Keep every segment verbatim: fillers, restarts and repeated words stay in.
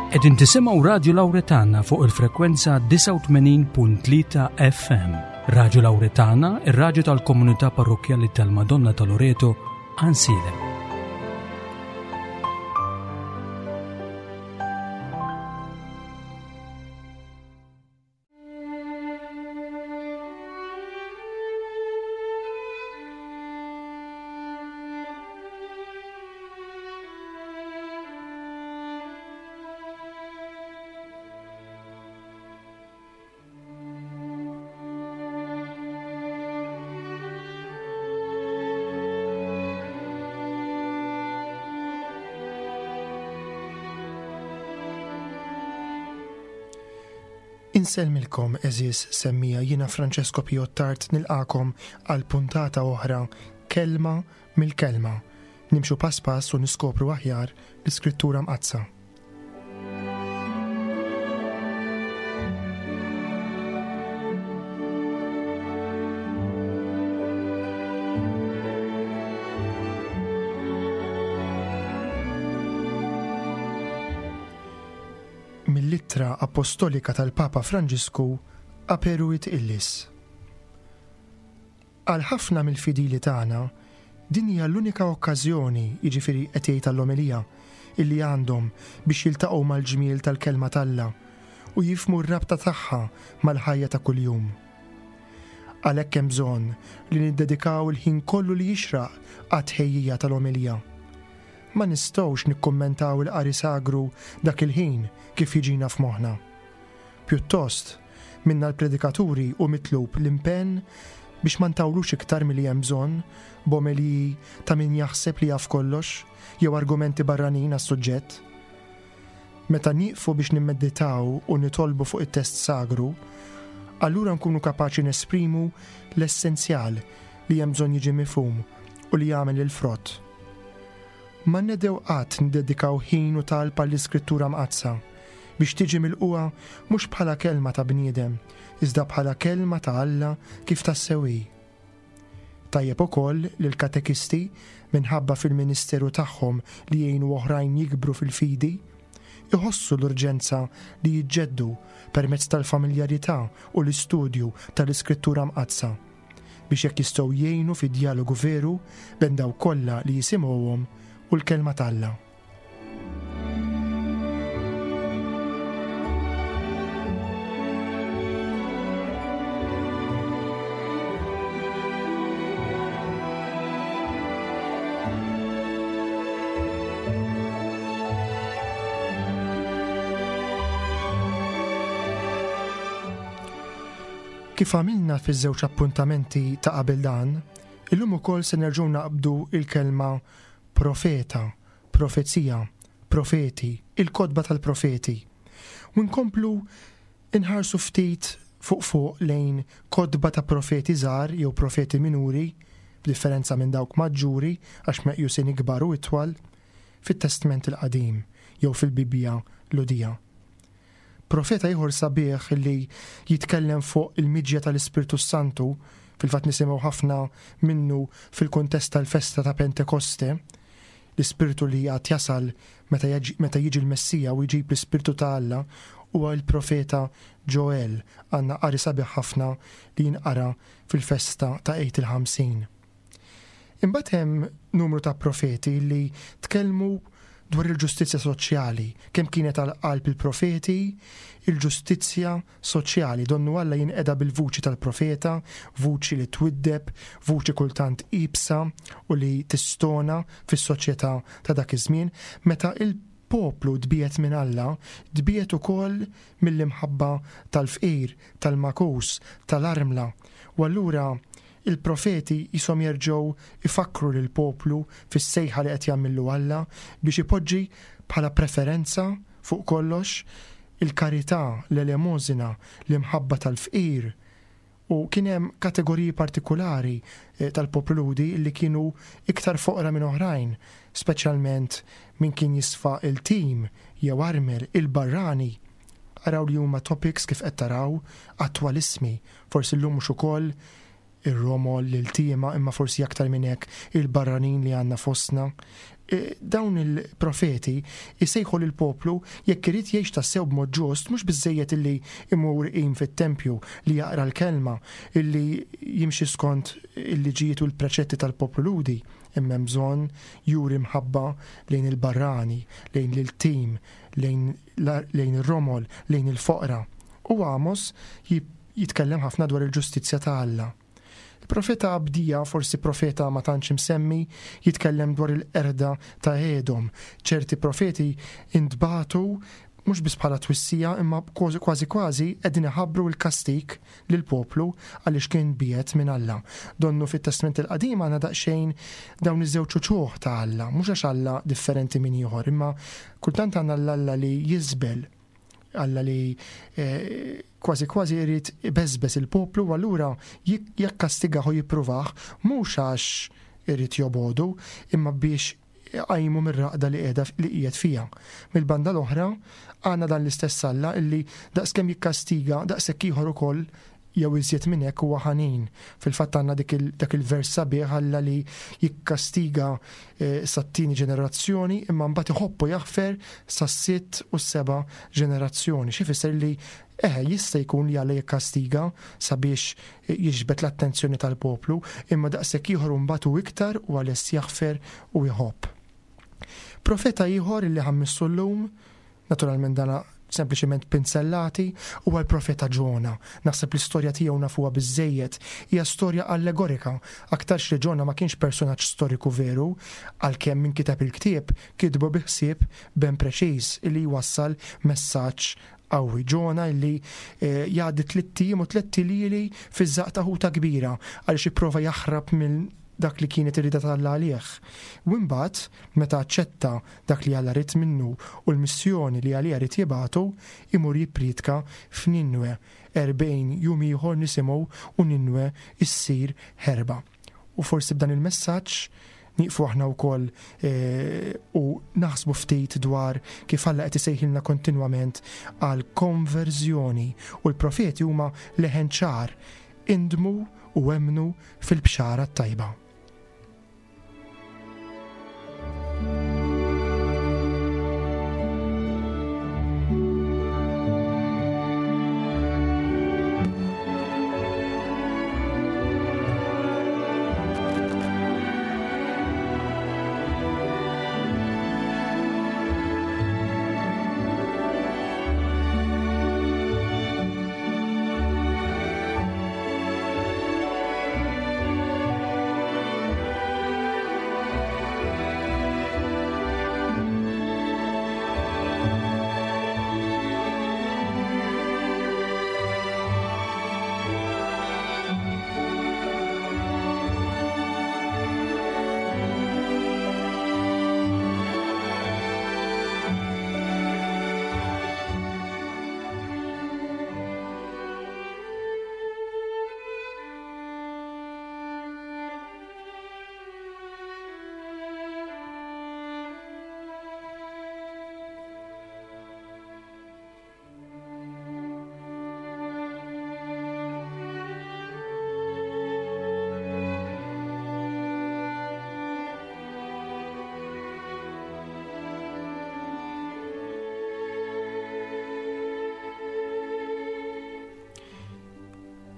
Qegħdin tisimgħu Radju Lawretana fuq il-frekwenza disgħa u tmenin punt tlieta F M. Radju Lawretana, ir-radju tal-Komunità Parrokkjali tal-Madonna ta' Loreto, Għajnsielem. Insellmilkom, għeżież semmiegħa, jiena Francesco Piottart nilqagħkom għal puntata oħra Kelma mill-Kelma. Nimxu pass pass u niskopru aħjar l-Iskrittura Mqaddsa. Mill-ittra apostolika tal-Papa Franġisku Aperuit Illis. Għal ħafna mill-fidili tagħna, din hija l-unika okkażjoni, jiġifieri qed jgħid għall-omelija, illi għandhom biex jiltaqgħu mal-ġmiel tal-kelma t'Alla u jifhmu r-rabta tagħha mal-ħajja ta' kuljum. Għalhekk hemm bżonn li niddedikaw il-ħin kollu li jixraq għat-tħejjija tal-omelija. Ma nistgħux nikkummentaw il-qari sagru dak il-ħin kif jiġina f'moħħna. Pjuttost, minna l-predikaturi hu mitlub l-impenn biex ma ntawlux iktar milli hemm bżonn b'omeliji ta' min jaħseb li jaf kollox jew argumenti barranin għas-suġġett. Meta nieqfu biex nimmeditaw u nitolbu fuq it-test sagru, allura nkunu kapaċi nesprimu l-essenzjal li hemm bżonn jiġi mifhum u li jagħmel il-frott. Ma nedhew qatt niddedikaw ħin u talb għall-Iskrittura Mqaddsa biex tiġi milqugħa mhux bħala kelma ta' bniedem, iżda bħala kelma ta' Alla kif tassew hi. Tajjeb ukoll li l-katekisti, minħabba fil-ministeru tagħhom li jgħinu oħrajn jikbru fil-fidi, iħossu l-urġenza li jiġġeddu permezz tal-familjarità u l-istudju tal-Iskrittura Mqaddsa biex hekk jistgħu jgħinu fi djalogu veru bejn dawk kollha li jisimgħuhom u l-kelma t'Alla. Kif għamilna fiż-żewġ appuntamenti ta' qabel dan, illum ukoll se nerġgħu naqbdu il-kelma profeta, profezija, profeti, il-kotba tal-profeti. U nkomplu inħarsu ftit fuq fuq lejn kotba ta' profeti żgħar jew profeti minuri, b'differenza minn dawk maġġuri għax meqjusin ikbar u itwal, fit-Testment il-Qadim jew fil-Bibbja Lhudija. Profeta ieħor sabiħ li jitkellem fuq il-miġja tal-Ispirtu Santu, fil-fatt nisimgħu ħafna minnu fil-kuntest tal-festa ta' Pentekoste, l-Ispirtu li għad jasal meta jaġi, meta jiġi l-Messija u jġib l-Ispirtu ta' Alla, huwa l-profeta Joel. Għandna qari sabiħ ħafna li jinqara fil-festa ta' Għid il-Ħamsin. Imbagħad hemm numru ta' profeti li tkellmu dwar il-ġustizzja soċjali, kemm kienet għal qalb il-profeti, il-ġustizzja soċjali, donnu Alla jinqeda bil-vuċi tal-profeta, vuċi li twiddeb, vuċi kultant iebsa u li tistona fis-soċjetà ta' dak iż-żmien, meta il-poplu tbiegħed minn Alla, tbiegħed ukoll mill-imħabba tal-fqir, tal-makus, tal-armla. U allura il-profeti jisom jerġgħu ifakkru lill-poplu fis-sejħa li qed jagħmillu Alla biex ipoġġi bħala preferenza fuq kollox il-karità, l-elemosina, l-imħabba tal-fqir. U kien hemm kategoriji partikulari, eh, tal-poplu Lhudi li kienu iktar foqra minn oħrajn, speċjalment min kien jisfa il-tim jew armel, il-barrani. Araw li huma topics kif qed taraw attwalissimi, forsi llum mhux ukoll Ir-romol, l-iltiema, imma forsi aktar minn hekk il-barranin li għandna fostna. E, dawn il-profeti jsejħu lill-poplu jekk irid jgħix tassew b'mod ġust, mhux biżżejjed illi imur iqim fit-tempju, li jaqra l-kelma, illi jimxi skont il-liġijiet u l-preċetti tal-poplu Lhudi, imma hemm bżonn juri mħabba lejn il-barrani, lejn l-iltim, lejn lejn ir-romol, lejn il-foqra. U Amos jitkellem ħafna dwar il-ġustizzja ta' Alla. Il-profeta Abdija, forsi profeta ma tantx imsemmi, jitkellem dwar il-qerda ta' Edom. Ċerti profeti intbagħtu mhux biss bħala twissija, imma kważi kważi qegħdin iħabbru l-kastik lill-poplu għaliex kien biegħed minn Alla. Donnu fit-Testament il-Qadim għandna daqsxejn dawn iż-żewġ uċuħ ta' Alla, mhux għax Alla differenti minn ieħor, imma kultant għandna l-Alla li jiżbel, Alla li, eh, kważi kważi jrid ibeżbeż il-poplu, u allura jekk kastigaħ u jippruvah mhux għax irid jobodu, imma biex qajmu mir-raqda li qiegħda li qiegħed fiha. Mill-banda l-oħra għandna dan l-istess Alla illi daqskemm jikkastiga daqshekk ieħor ukoll jew iżjed minn hekk huwa ħanin. Fil-fatt għandna dik il-, dak il-vers sabiħ Alla li jikkastiga, eh, sat-tieni ġenerazzjoni imma mbagħad iħobbu jaħfer sas-sitt u s-seba' ġenerazzjoni. Xi jfisser li eh, jista' jkun li Alla jikkastiga sabiex jiġbed l-attenzjoni tal-poplu, imma daqshekk ieħor mbagħad hu iktar u għalest jaħfer u jħobb. Profeta ieħor li ħammissu llum, naturalment dana sempliċement pinzellati, huwa l-profeta Ġona. Naħseb l-istorja tiegħu nafuha biżżejjed, hija storja allegorika, aktarx li Ġona ma kienx personaġġ storiku veru, għalkemm min kiteb il-ktieb kitbu bi ħsieb ben preċiż li jwassal messaġġ qawwi. Ġona illi, eh, jgħaddi tliet ijiem u tliet iljieli fiż-żaqq ta' ħuta kbira għaliex ipprova jaħrab minn dak li kienet irrida ta' Alla għalih. U imbagħad meta aċċetta dak li Alla ried minnu u l-missjoni li għaliha ried jibgħatu, imur jippriedka f'Ninwe. Erbgħin jum ieħor nisimgħu u Ninwe issir ħerba. U forsi b'dan il-messaġġ nieqfu aħna wkoll, eh, u naħsbu ftit dwar kif Alla qed isejħilna kontinwament għal konverżjoni, u l-profeti huma leħen ċar, indmu u emmnu fil-bxara t-tajba.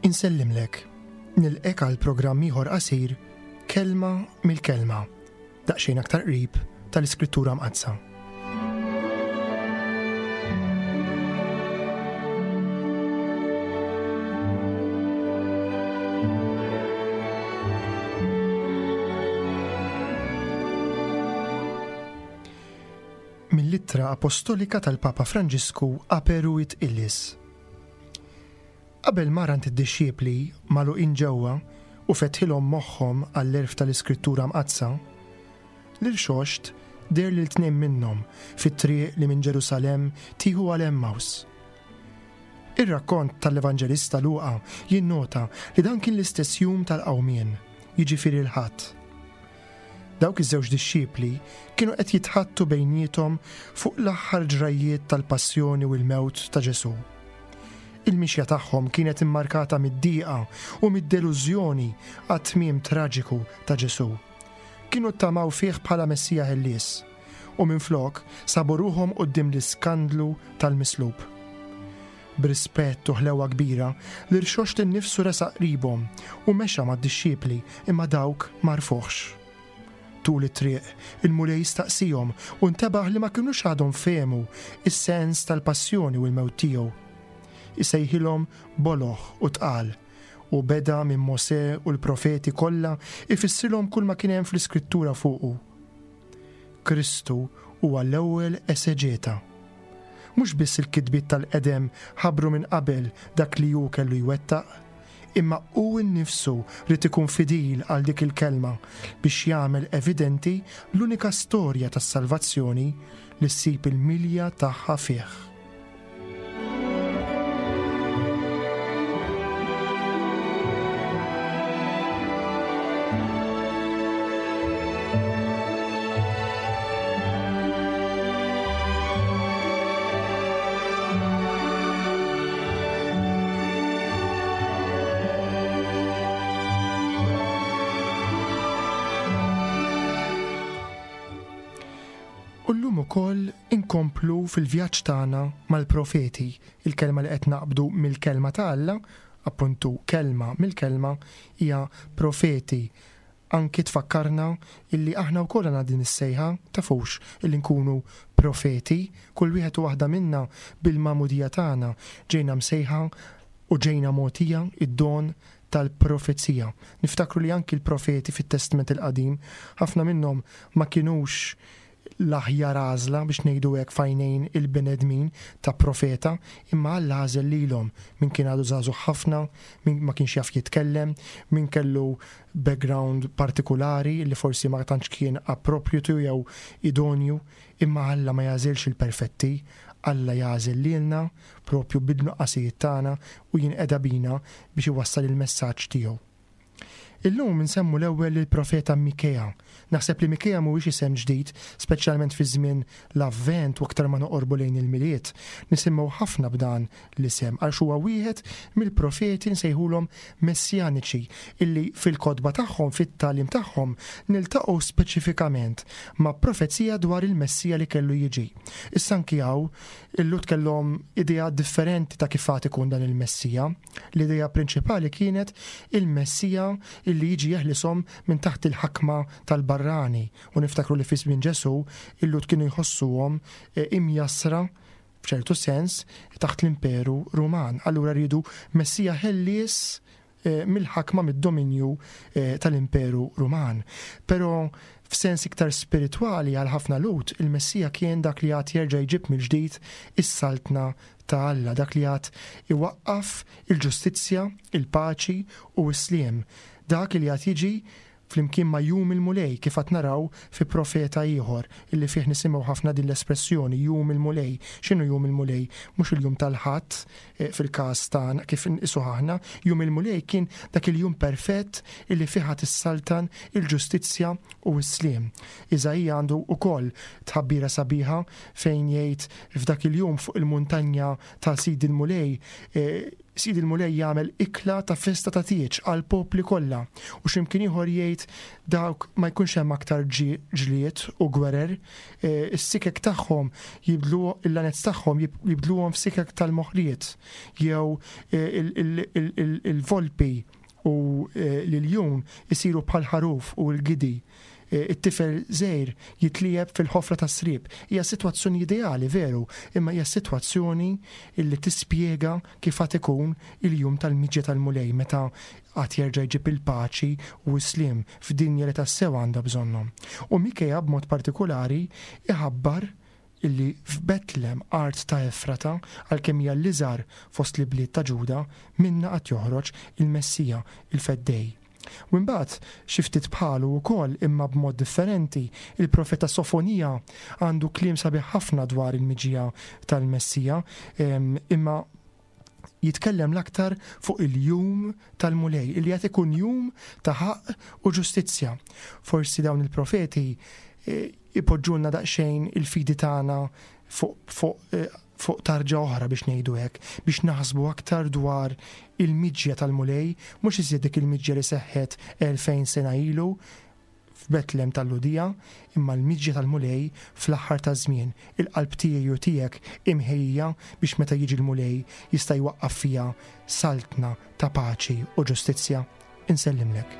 Insellimlek, nilqek għal programm ieħor qasir Kelma mill-Kelma, daqsxejn aktar qrib tal-Iskrittura Mqaddsa. Mill-Ittra Apostolika tal-Papa Franġisku Aperuit Illis. Qabel mar għand id-dixxipli magħluqin ġewwa u fetħilhom moħħhom għall-għerf tal-Iskrittura Mqaddsa, l-irxoxt deher lil tnejn minnhom fit-triq li minn Ġerusalemm tieħu għal Emmaus. Ir-rakkont tal-Evanġelista Luqa jinnota li dan kien l-istess jum tal-qawmien, jiġifieri l-Ħadd. Dawk iż-żewġ dixxipli kienu qed jitħattu bejniethom fuq l-aħħar ġrajjiet tal-passjoni u l-mewt ta' Ġesù. Il-mixja tagħhom kienet immarkata mid-dieqa u mid-delużjoni għat-tmiem traġiku ta' Ġesù. Kienu ttamaw fih bħala Messija ħellies u minflok sabu ruħhom quddiem l-iskandlu tal-mislub. B'rispett u ħlewa kbira, l-irxoxt innifsu resaq qribhom u mexa mad-dixxipli imma dawk m'għarfuhx. Tul it-triq, il-Mulej staqsihom u ntebaħ li ma kinux għadhom fehmu is-sens tal-passjoni u l-mewt tiegħu. Isejħilhom boloh u tqal u beda minn Mosè u l-profeti kollha ifissrilhom kull ma kien hemm fl-Iskrittura fuqu. Kristu huwa l-ewwel eseġeta. Mhux biss il-kitbiet tal-qedem ħabbru minn qabel dak li hu kellu jwettaq, imma hu nnifsu ried ikun fidil għal dik il-kelma biex jagħmel evidenti l-unika storja tas-salvazzjoni li ssib il-milja tagħha fih. U llum ukoll inkomplu fil-vjaġġ tagħna mal-profeti, il-kelma li qed naqbdu mill-kelma ta' Alla, appuntu kelma mill-kelma hija profeti. Anki tfakkarna illi aħna wkoll għandna din is-sejħa, tafux, illi nkunu profeti, kull wieħed u waħda minna bil-magħmudija tagħna ġejna msejħa u ġejna mogħtija id-don tal-profezija. Niftakru li anki l-profeti fit-Testament il-Qadim, ħafna minnhom ma kinux l-aħjar għażla biex ngħidu hekk f'għajnejn il-bnedmin ta' profeta, imma Alla għażel lilhom min kien għadu żagħżugħ ħafna, min ma kienx jaf jitkellem, min kellu background partikulari li forsi ma tantx kien appropriate jew idonju, imma Alla ma jagħżilx il-perfetti, Alla jagħżel lilna propju bid-nuqqasijiet tagħna u jinqeda bina biex iwassal il-messaġġ tiegħu. Illum nsemmu l-ewwel il-profeta Mikea. Naħseb li Mikea mhuwiex isem ġdid, speċjalment fi żmien l-Avvent u aktar ma noqorbu lejn il-Milied. Nisimgħu ħafna b'dan l-isem għax huwa wieħed mill-profeti nsejħulhom messjaniċi illi fil-kotba tagħhom, fit-tagħlim tagħhom, niltaqgħu speċifikament ma' profezija dwar il-Messija li kellu jiġi. Issa anki hawn il-Lhud kellhom idea differenti ta' kif għad ikun dan il-Messija. L-idea prinċipali kienet il-Messija illi jiġi jeħlisom minn taħt il-ħakma tal-barrani. U niftakru li fi żmien Ġesù il-Lhud kienu jħossuhom, eh, imjassra f'ċertu sens taħt l-Imperu Ruman. Allura rridu Messija ħellies, eh, mill-ħakma mid-dominju, eh, tal-Imperu Ruman. Però f'sens iktar spiritwali għal ħafna Lhud, il-Messija kien dak li għad jerġa' jġib mill-ġdid is-saltna ta' Alla, dak li għad iwaqqaf il-ġustizzja, il-paċi u s-sliem. Dak li għad jiġi flimkien ma' jum il-Mulej, kif għad naraw fi profeta ieħor illi fih nisimgħu ħafna din l-espressjoni jum il-Mulej. X'inhu jum il-Mulej? Mhux il-jum tal-Ħadd, eh, fil-każ tagħna kif nqisuh aħna, jum il-Mulej kien dak il-jum perfett illi fih għad issaltan il-ġustizzja u s-sliem. Iżaija għandu wkoll tħabbira sabiħa fejn jgħid f'dak il-jum fuq il-muntanja ta' Sid il-Mulej, eh, Sid il-Mulej jagħmel ikla ta' festa ta' tieġ għal popli kollha. U x'imkien ieħor jgħid dawk ma jkunx hemm aktar ġi-, ġlied u gwerer, eh, is-sikek tagħhom jibdlu il-lanez tagħhom jib-, jibdluhom f'sikek tal-moħriet jew, eh, il-, il-, il-, il-, il-volpi u, eh, l-iljun isiru bħal ħaruf u l-gidi. Eh, it-tifel żgħir jitlieb fil-ħofra tas-sriep. Hija sitwazzjoni ideali, veru, imma hija sitwazzjoni illi tispjega kif għad ikun il-jum tal-miġja tal-Mulej meta għad jerġa' jġib il-paċi u s-sliem f'dinja li tassew għandha bżonnhom. U Mikea b'mod partikolari iħabbar illi f'Betlem, art ta' Efrata, għalkemm hija l-iżgħar fost l-ibliet ta' Ġuda, minna għad joħroġ il-Messija, il-Feddej. U mbagħad xi ftit bħalu wkoll imma b'mod differenti, il-profeta Sofonija għandu kliem sabiħ ħafna dwar il-miġja tal-Messija, em, imma jitkellem l-aktar fuq il-jum tal-Mulej, illi qed ikun jum ta' ħaqq u ġustizzja. Forsi dawn il-profeti, eh, ipoġġulna daqsxejn il-fidi tagħna fuq, fuq, eh, fuq tarġa oħra biex ngħidu hekk, biex naħsbu aktar dwar il-miġja tal-Mulej, mhux iżjed dik il-miġja li seħħet elfejn sena ilu f'Betlem tal-Lhudija, imma l-miġja tal-Mulej fl-aħħar taż-żmien, il-qalb tiegħi u tiegħek imħejja biex meta jiġi l-Mulej jista' jwaqqaf fiha saltna ta' paċi u ġustizzja. Insellimlek.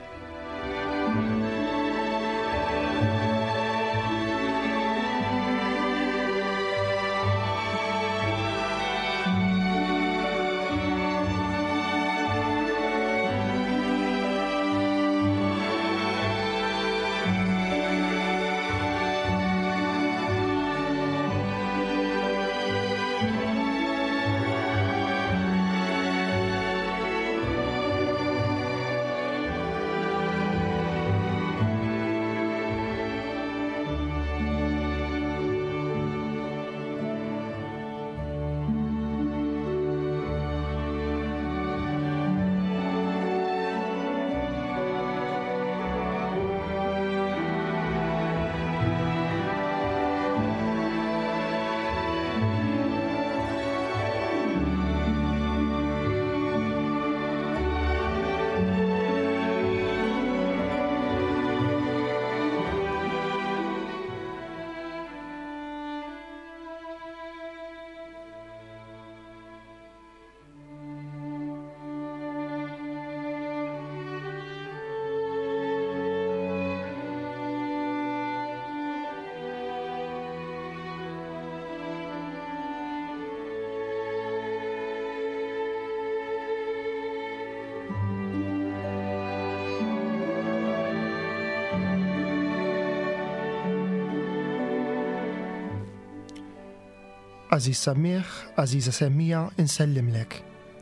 Għażiż Sammiħ, Għażiża Semmija, insellimlek.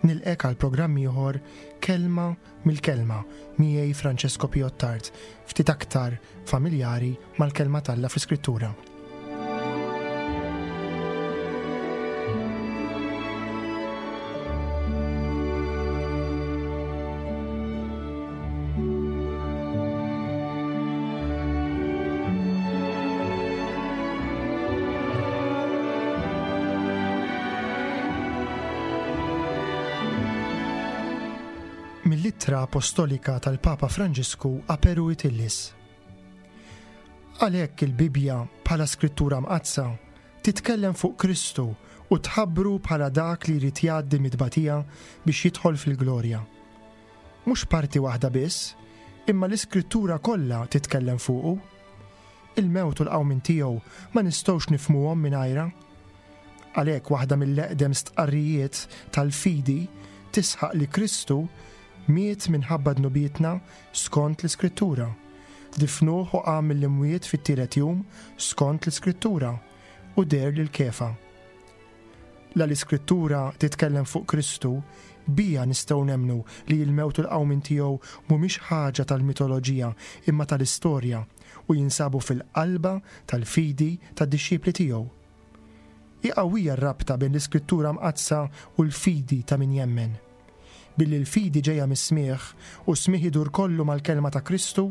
Nilqek għal programm ieħor Kelma mill-Kelma miegħi Francesco Piottard, ftit aktar familjari mal-kelma t'Alla fl-Iskrittura. Mill-ittra apostolika tal-Papa Franġisku Aperuit Illis. Għalhekk il-Bibbja bħala skrittura mqaddsa titkellem fuq Kristu u tħabbru bħala dak li jrid jgħaddi mit-tbatija biex jidħol fil-glorja. Mhux parti waħda biss, imma l-iskrittura kollha titkellem fuqu. Il-mewt u l-qawmien tiegħu ma nistgħux nifhmuhom mingħajra. Għalhekk waħda mill-eqdem stqarrijiet tal-fidi tisħaq li Kristu miet minħabba dnubietna skont l-Iskrittura. Difnuh u qam mill-imwiet fit-tielet jum skont l-Iskrittura u deher lil Kefa. La l-Iskrittura titkellem fuq Kristu, bija nistgħu nemmnu li l-mewt u l-qawmien tiegħu mhumiex ħaġa tal-mitoloġija imma tal-istorja u jinsabu fil-qalba tal-fidi tad-dixxipli tiegħu. Hi qawwija r-rabta bejn l-Iskrittura mqaddsa u l-fidi ta' min jemmen. Billi l-fidi ġejja mis-smigħ u s-smigħ idur kollu mal-kelma ta' Kristu,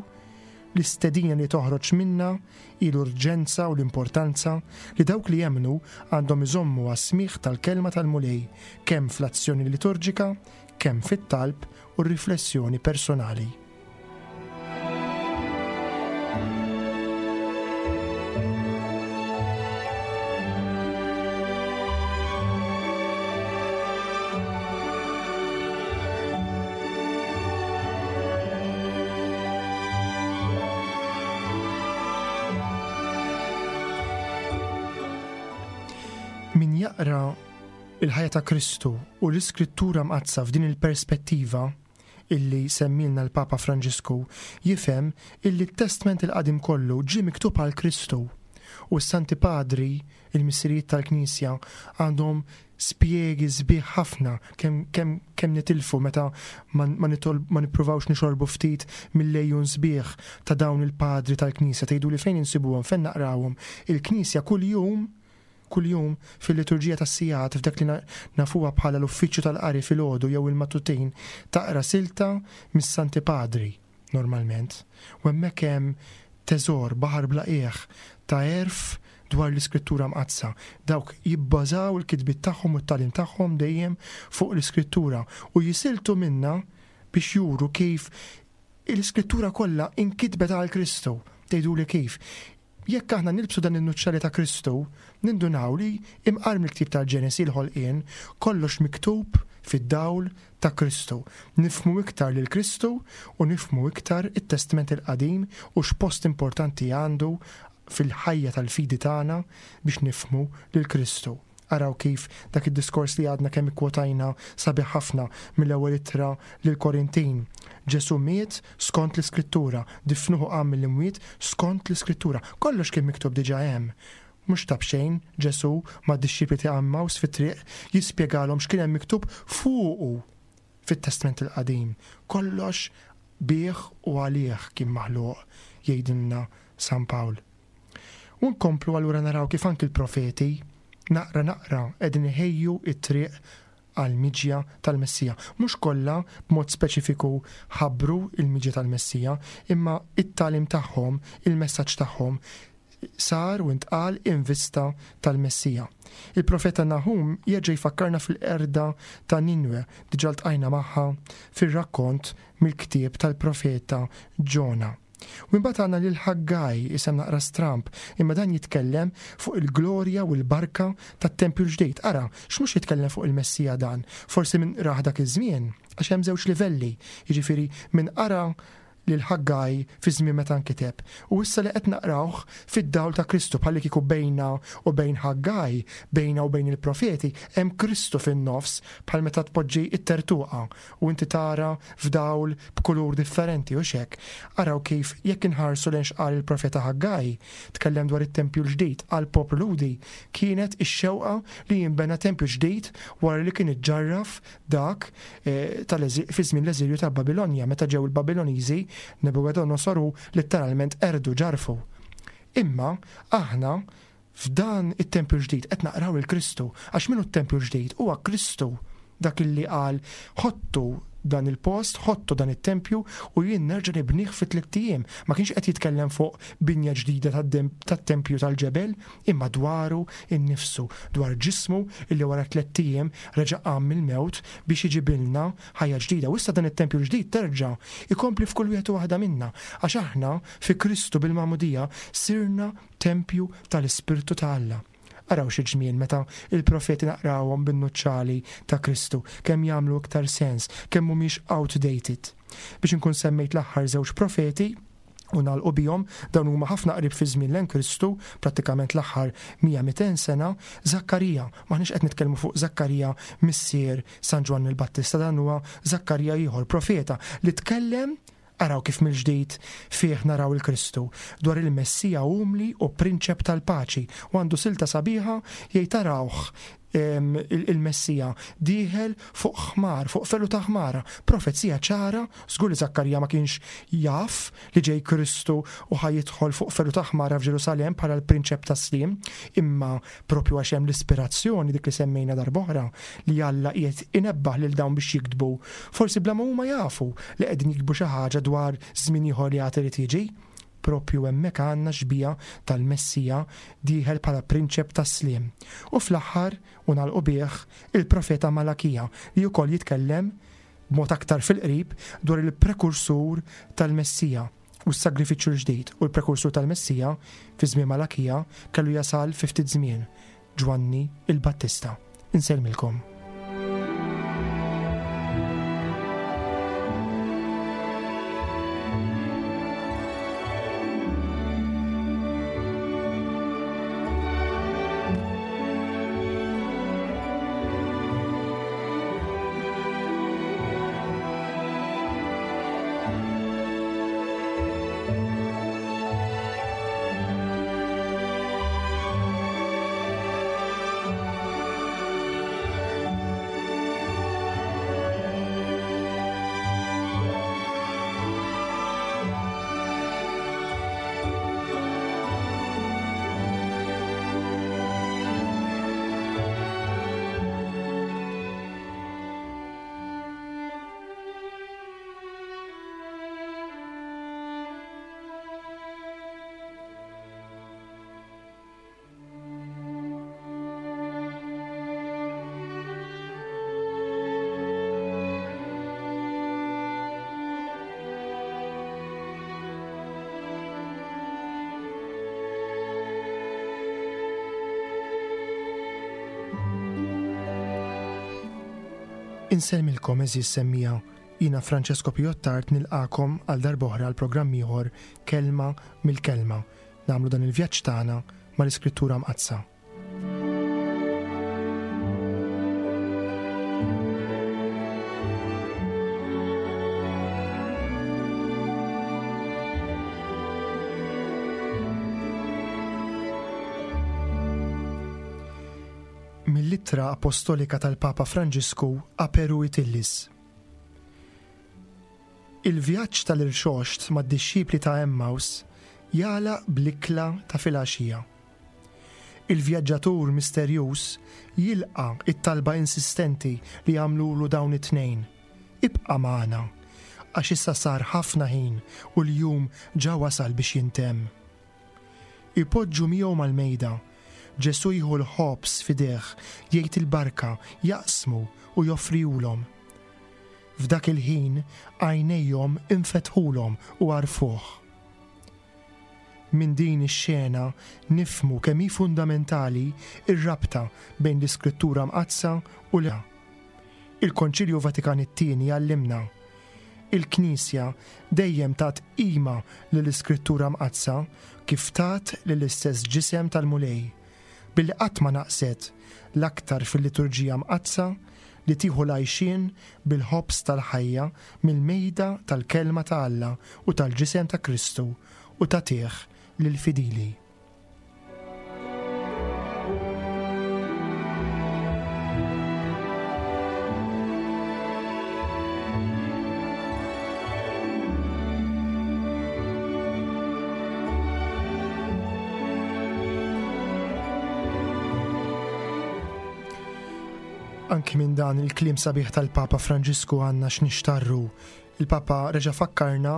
l-istedina li toħroġ minna hi l-urġenza u l-importanza li dawk li jemmnu għandhom iżommu għas-smigħ tal-kelma tal-Mulej kemm fl-azzjoni liturġika, kemm fit-talb u r-riflessjoni personali. Min jaqra il-ħajja ta' Kristu u l-Iskrittura mqaddsa f'din il-perspettiva illi semmilna l-Papa Franġisku jifhem illi t-Testment il-Qadim kollu ġie miktub għal Kristu u s-Santi Padri, il-missirijiet tal-Knisja, għandhom spjegi sbieħ ħafna kemm kem, kem nitilfu meta ma, ma, ma nippruvawx nixorbu ftit mill-lejun sbieħ ta' dawn il-padri tal-Knisja. Tgħidu li fejn insibuhom, fejn naqrawhom. Il-Knisja kuljum kuljum fil-liturġija tas-sigħat f'dak li nafuha bħala l-uffiċċju tal-qari filgħodu jew il-matutin taqra silta mis-Santi Padri normalment. U hemmhekk hemm teżor baħar bla qiegħ ta' għerf dwar l-Iskrittura Mqaddsa. Dawk jibbażaw il-kitbiet tagħhom u t-tagħlim tagħhom dejjem fuq l-Iskrittura u jisiltu minna biex juru kif l-Iskrittura kollha inkitbet għal Kristu. Tgħiduli kif? Jekk aħna nilbsu dan in-nuċċali ta' Kristu, nindunaw li imqar mill-ktieb tal-Ġenesi l-ħolqien, kollox miktub fid-dawl ta' Kristu. Nifhmu iktar lil Kristu u nifhmu iktar it-Testment il-Qadim u x'post importanti għandu fil-ħajja tal-fidi tagħna biex nifhmu lil Kristu. Araw kif dak id-diskors li għadna kemm ikkwotajna sabiħ ħafna mill-ewwel ittra lil Korintin. Ġesu miet skont l-Iskrittura, difnuhu qam mill-imwiet skont l-Iskrittura. Kollox kien miktub diġà hemm. Mhux ta' b'xejn Ġesu mad-dixxipli ta' Għemmaws fit-triq jispjegalhom x'kien hemm miktub fuqu fit-Testment il-Qadim. Kollox bih u għalih kien maħluq, jgħidilna San Pawl. U nkomplu allura naraw kif anki l-profeti naqra naqra qegħdin iħejju t-triq għall-miġja tal-Messija. Mhux kollha b'mod speċifiku ħabbru il-miġja tal-Messija, imma it-tagħlim tagħhom, il-messaġġ tagħhom sar u intqal in vista tal-Messija. Il-profeta Nahum jerġa' jfakkarna fil-qerda ta' Ninwe, diġà ltqajna magħha fir-rakkont mill-ktieb tal-profeta Ġona. U imbagħad għandna lil Ħaggaj, isem naqra stramp, imma dan jitkellem fuq il-glorja u l-barka tat-tempju l-ġdid. Ara, x'mhux jitkellem fuq il-Messija dan? Forsi minn raħ dak iż-żmien, għax hemm żewġ livelli, jiġifieri minn qara lil Ħaggaj fi żmien meta nkiteb. U issa li qed naqrawh fid-dawl ta' Kristu, bħalli kieku bejna u bejn Ħaggaj, bejna u bejn il-profeti, hemm Kristu fin-nofs, bħal meta tpoġġi t-tertuqa u inti tara f'dawl b'kulur differenti u xek. Araw kif jekk inħarsu lejn x'qal il-profeta Ħaggaj, tkellem dwar it-tempju l-ġdid għal poplu Lhudi, kienet ix-xewqa li jinbena tempju ġdid wara li kien iġġarraf dak, eh, tal-eżi-, fi żmien l-eżilju tal-Babilonja, meta ġew il-Babiloniżi, Nabucodonosor letteralment erdu ġarfu. Imma aħna f'dan it-tempju ġdid qed naqraw il-Kristu, għax minnu t-tempju ġdid huwa Kristu, dak illi qal ħottu dan il-post, ħottu dan it-tempju u jien nerġa' nibnih fi tliet ijiem. Ma kienx qed jitkellem fuq binja ġdida tad-dem-, tat-tempju tal-ġebel, imma dwaru innifsu, dwar ġismu illi wara tliet ijiem reġa' qam mill-mewt biex iġibilna ħajja ġdida. U issa dan it-tempju ġdid terġa' ikompli f'kull wieħed u waħda minna, għax aħna fi Kristu bil-magħmudija sirna tempju tal-Ispirtu ta' Alla. Araw xi ġmiel meta il-profeti naqrawhom bin-nuċċali ta' Kristu, kemm jagħmlu iktar sens, kemm mhumiex outdated. Biex inkun semmejt l-aħħar żewġ profeti u nagħlqu bihom, dawn huma ħafna qrib fi żmien lejn Kristu, prattikament l-aħħar mija mitejn sena, Zakkarija. M'aħniex qed nitkellmu fuq Zakkarija missier San Ġwann il-Battista, dan huwa Zakkarija ieħor, profeta li tkellem. Araw kif mill-ġdid fih naraw il-Kristu, dwar il-Messija umli u prinċep tal-paċi, u għandu silta sabiħa jgħid tarawh, em, il-, il-Messija dieħel fuq ħmar, fuq felu ta' ħmara. Profezija ċara, żgur li Zakkarija ma kienx jaf li ġej Kristu u ħaj jidħol fuq felu ta' ħmara f'Ġerusalem bħala l-prinċep tas-sliem, imma propju għax hemm l-ispirazzjoni dik li semmejna darb'oħra li Alla qiegħed inebbaħ lil dawn biex jiktbu, forsi bla ma huma jafu li qegħdin jiktbu xi ħaġa dwar żmien ieħor li għad irid jiġi. Propju hemmhekk għandna xbija tal-Messija dieħel bħala prinċep tas-sliem. U fl-aħħar, u nagħlqu bih, il-profeta Malakija li wkoll jitkellem b'mod aktar fil-qrib dwar il-prekursur tal-Messija u s-sagrifiċċju l-ġdid. U l-prekursur tal-Messija fi żmien Malakija kellu jasal fi ftit żmien, Ġwanni il-Battista. Insellmilkom. Insellmilkom għeżież semmiegħa, jiena Francesco Piottart nilqakom għal darb'oħra għal programm ieħor Kelma mill-Kelma. Nagħmlu dan il-vjaġġ tagħna mal-Iskrittura Mqaddsa. Mill-Ittra Apostolika tal-Papa Franġisku Aperuit Illis. Il-vjaġġ tal-irxoxt mad-dixxipli ta' Emmaus jagħlaq bl-ikla ta' filgħaxija. Il-vjaġġatur misterjuż jilqa' it-talba insistenti li għamlulu dawn it-tnejn. Ibqa' magħna, għax issa sar ħafna ħin u l-jum ġa wasal biex jintemm. Ipoġġu miegħu mal-mejda. Ġesù jieħu l-ħobż f'idejh, jgħid il-barka, jaqsmu u joffrihulhom. F'dak il-ħin għajnejhom infetħulhom u għarfuh. Minn din ix-xena nifhmu kemm hi fundamentali r-rabta bejn l-Iskrittura Mqaddsa u l Il-Konċilju Vatikan it-Tieni għallimna. Il-Knisja dejjem tat qima lill-Iskrittura Mqaddsa kif tat lill-istess ġisem tal-Mulej, billi qatt ma naqset l-aktar fil-liturġija mqaddsa li tieħu l-għajxien bil-ħobż tal-ħajja mill-mejda tal-kelma ta' Alla u tal-ġisem ta' Kristu u tagħtih lill-fidili. Anki minn dan il-kliem sabiħ tal-Papa Franġisku għandna x'nixtarru. Il-Papa reġa' fakkarna,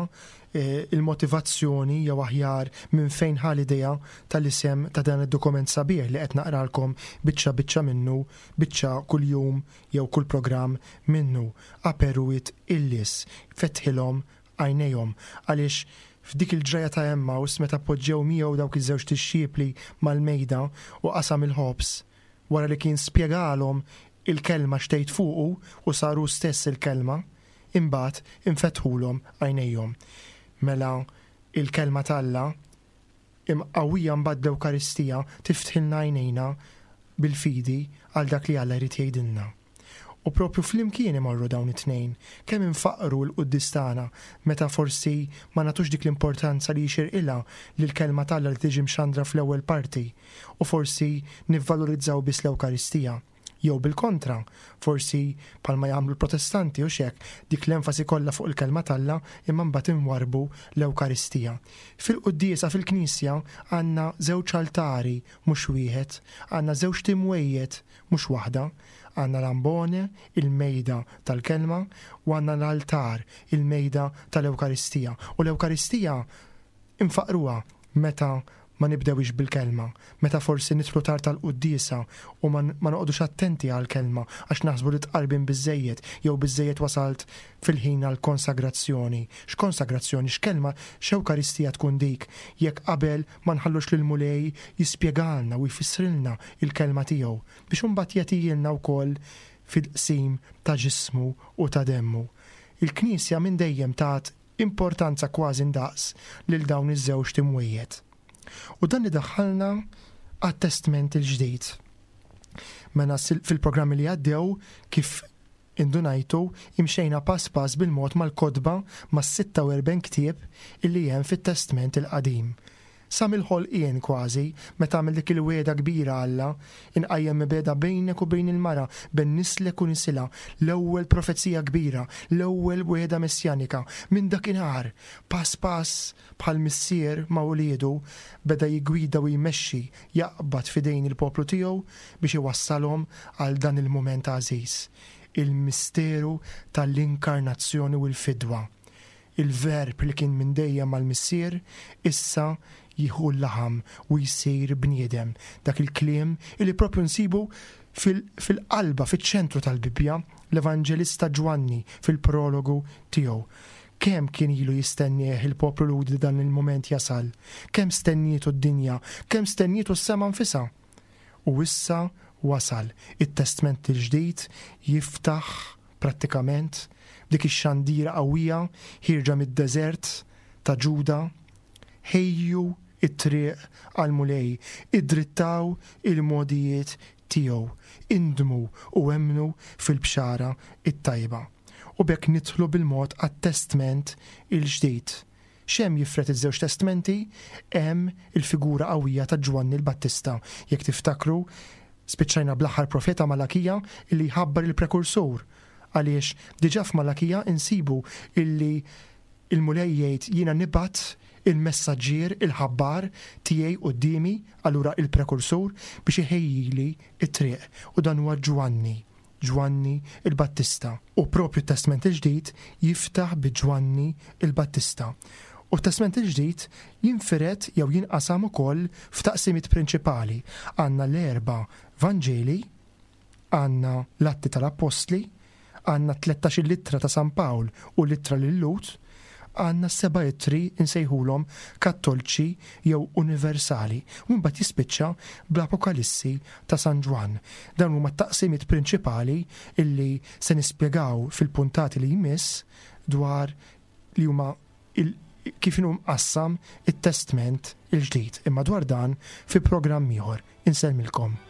eh, il-motivazzjoni jew aħjar minn fejn ħa l-idea tal-isem ta' dan id-dokument sabiħ li qed naqralkom biċċa biċċa minnu, biċċa kuljum jew kull programm minnu. Aperuit illis, fetħilhom għajnejhom, għaliex f'dik il-ġraja ta' Emmaus meta poġġew miegħu dawk iż-żewġ dixxipli mal-mejda u qasam il-ħobż, wara li kien spjegalhom il-kelma xtejt fuqu u saru stess il-kelma, imbagħad infetħulhom għajnejhom. Mela il-kelma t'Alla imqawwija mbagħad l-Ewkaristija tiftħilna għajnejna bil-fidi għal dak li Alla jrid jgħidilna. U propju flimkien imorru dawn it-tnejn, kemm infaqru l-quddies tagħna meta forsi ma nagħtux dik l-importanza li jixirqilha lill-kelma t'Alla li tiġi mxandra fl-ewwel parti, u forsi nivvalorizzaw biss l-Ewkaristija. Jew bil-kontra, forsi bħalma jagħmlu l-Protestanti u xek, dik l-enfasi kollha fuq il-kelma t'Alla imma mbagħad inwarbu l-Ewkaristija. Fil-quddiesa fil-Knisja għandna żewġ altari mhux wieħed, għandna żewġ timwejjed mhux waħda, għandna l-ambone, il-mejda tal-kelma, u għandna l-altar, il-mejda tal-Ewkaristija. U l-Ewkaristija infaqruha meta ma nibdewix bil-kelma, meta forsi nidħlu tard tal-quddiesa u ma n-, ma noqogħdux attenti għall-kelma għax naħsbu li tqarbin biżżejjed jew biżżejjed wasalt fil-ħin għall-konsagrazzjoni. X'konsagrazzjoni, x'kelma, x'Ewkaristija tkun dik jekk qabel ma nħallux lil Mulej jispjegalna u jfissrilna il-kelma tiegħu biex imbagħad jagħtihilna wkoll fil-qsim ta' ġismu u ta' demmu. Il-Knisja minn dejjem tat importanza kważi ndaqs lil dawn iż-żewġ timwejjed. U dan idaħħalna għat-Testment il-Ġdid. Mela sil-, fil-programmi li għaddew kif indunajtu imxejna pass pass bil-mod mal-kotba mas-sitta u erbgħin ktieb illi hemm fit-Testment il-Qadim. Sa mill-ħolqien kważi, meta għamel dik il-wegħda kbira Alla, inqajjem mibegħda bejnek u bejn il-mara, bejn nislek u nisilha, l-ewwel profezija kbira, l-ewwel wegħda messjanika. Minn dakinhar, pass pass bħal missier ma' wliedu, beda jigwida u jmexxi, jaqbad f'idejn il-poplu tiegħu biex iwassalhom għal dan il-mument għażiż, il-misteru tal-inkarnazzjoni u l-fidwa. Il-verb li kien minn dejjem mal-missier issa jieħu l-laħam u jsir bniedem. Dak il-kliem li propju nsibu fil-, fil-qalba, fiċ-ċentru tal-Bibbja, l-Evanġelista Ġwanni fil-prologu tiegħu. Kemm kien ilu jistennieh il-poplu Lhudi dan il-moment jasal, kemm stennietu d-dinja, kemm stennietu s-sema nfisha. U issa wasal. It-Testment il-Ġdid jiftaħ prattikament, dik ix-xandira qawwija ħierġa mid-deżert ta' Ġuda, ħejju it-triq għall-Mulej, iddrittaw il-mogħdijiet tiegħu, indmu u emmnu fil-bxara it-tajba. U b'hekk nidħlu bil-mod għat-Testment il-Ġdid. X'hemm jifred iż-żewġ testmenti? Hemm il-figura qawwija ta' Ġwanni l-Battista. Jekk tiftakru, spiċċajna bl-aħħar profeta Malakija illi jħabbar il-prekursur. Għaliex diġà f'Malakija insibu illi il-Mulej jgħid jiena nibgħat il-messaġġier, il-ħabbar tiegħi quddiemi, allura il-prekursur, biex iħejjili it-triq. U dan huwa Ġwanni, Ġwanni il-Battista. U propju t-Testment il-Ġdid jiftaħ bi Ġwanni il-Battista. U t-Testment il-Ġdid jinfired jew jinqasam ukoll f'taqsimiet prinċipali. Għandna l-erba' Vanġeli, għandna l-Atti tal-Appostli, għandna tlettax-il ittra ta' San Pawl u l-ittra lil-Lhud, għandna seba' ittri nsejħulhom kattolċi jew universali, u mbagħad jispiċċa bl-Apokalissi ta' San Ġwann. Dawn huma t-taqsimiet prinċipali illi se nispjegaw fil-puntati li jmiss dwar li huma il kif inhu mqassam it-Testment il-Ġdid. Imma dwar dan fi programm ieħor. Insellmilkom.